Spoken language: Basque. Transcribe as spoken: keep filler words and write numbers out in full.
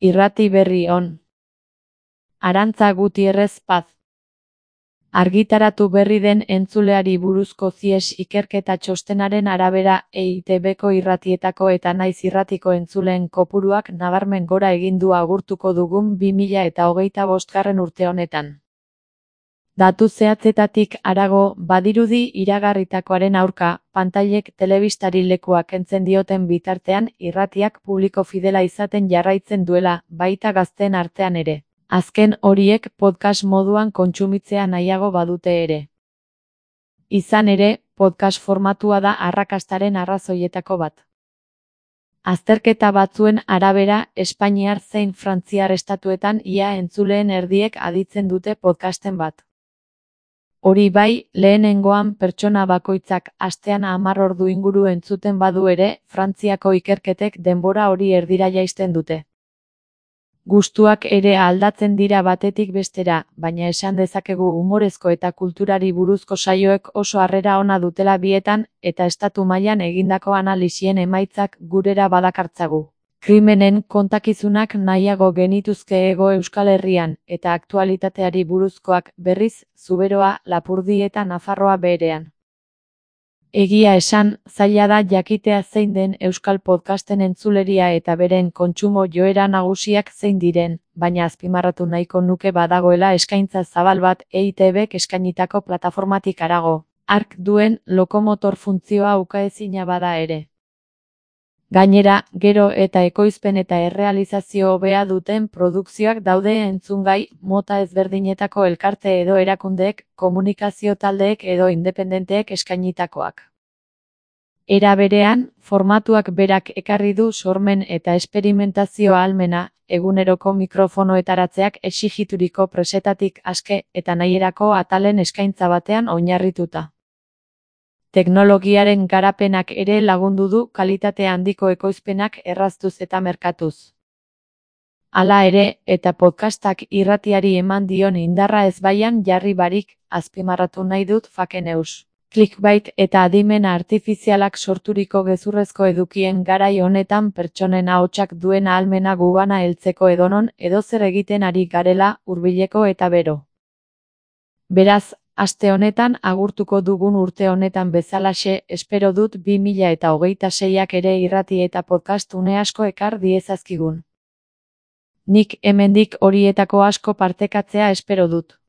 Irrati berri on. Arantza Gutierrez Paz. Argitaratu berri den entzuleari buruzko zies ikerketa txostenaren arabera E I T Bko irratietako eta naiz irratiko entzuleen kopuruak nabarmen gora egin du agurtuko dugun bi mila eta hogeita bostgarren urte honetan. Datu zehatzetatik harago, badirudi iragarritakoaren aurka, pantailek telebistari lekua kentzen dioten bitartean irratiak publiko fidela izaten jarraitzen duela, baita gazteen artean ere. Azken horiek podcast moduan kontsumitzea nahiago badute ere. Izan ere, podcast formatua da arrakastaren arrazoietako bat. Azterketa batzuen arabera, Espainiar zein Frantziar estatuetan ia entzuleen erdiek aditzen dute podcasten bat. Hori bai, lehenengoan pertsona bakoitzak astean hamar ordu inguru entzuten badu ere, Frantziako ikerketek denbora hori erdira jaisten dute. Gustuak ere aldatzen dira batetik bestera, baina esan dezakegu umorezko eta kulturari buruzko saioek oso harrera ona dutela bietan, eta estatu mailan egindako analisien emaitzak gurera badakartzagu. Krimenen kontakizunak nahiago genituzke Hego Euskal Herrian, eta aktualitateari buruzkoak berriz, Zuberoa, Lapurdi eta Nafarroa berean. Egia esan, zaila da jakitea zein den euskal podcasten entzuleria eta beren kontsumo joera nagusiak zein diren, baina azpimarratu nahiko nuke badagoela eskaintza zabal bat E I T Bk eskainitako plataformatik harago, hark duen lokomotor funtzioa ukaezina bada ere. Gainera, gero eta ekoizpen eta errealizazio hobea duten produkzioak daude entzungai, mota ezberdinetako elkarte edo erakundeek, komunikazio taldeek edo independenteek eskainitakoak. Era berean, formatuak berak ekarri du sormen eta esperimentazio ahalmena, eguneroko mikrofonoetaratzeak exigituriko presetatik aske eta nahierako atalen eskaintza batean oinarrituta. Teknologiaren garapenak ere lagundu du kalitate handiko ekoizpenak erraztuz eta merkatuz. Hala ere, eta podcastak irratiari eman dion indarra ezbaian jarri barik, azpimarratu nahi dut fake news. Clickbait eta adimen artifizialak sorturiko gezurrezko edukien garai honetan pertsonen ahotsak duen ahalmena gugana heltzeko edonon edozer egiten ari garela, hurbileko eta bero. Beraz, aste honetan agurtuko dugun urte honetan bezalaxe, espero dut bi mila eta hogeita seiak ere irrati eta podcast une asko ekar diezazkigun. Nik hemendik horietako asko partekatzea espero dut.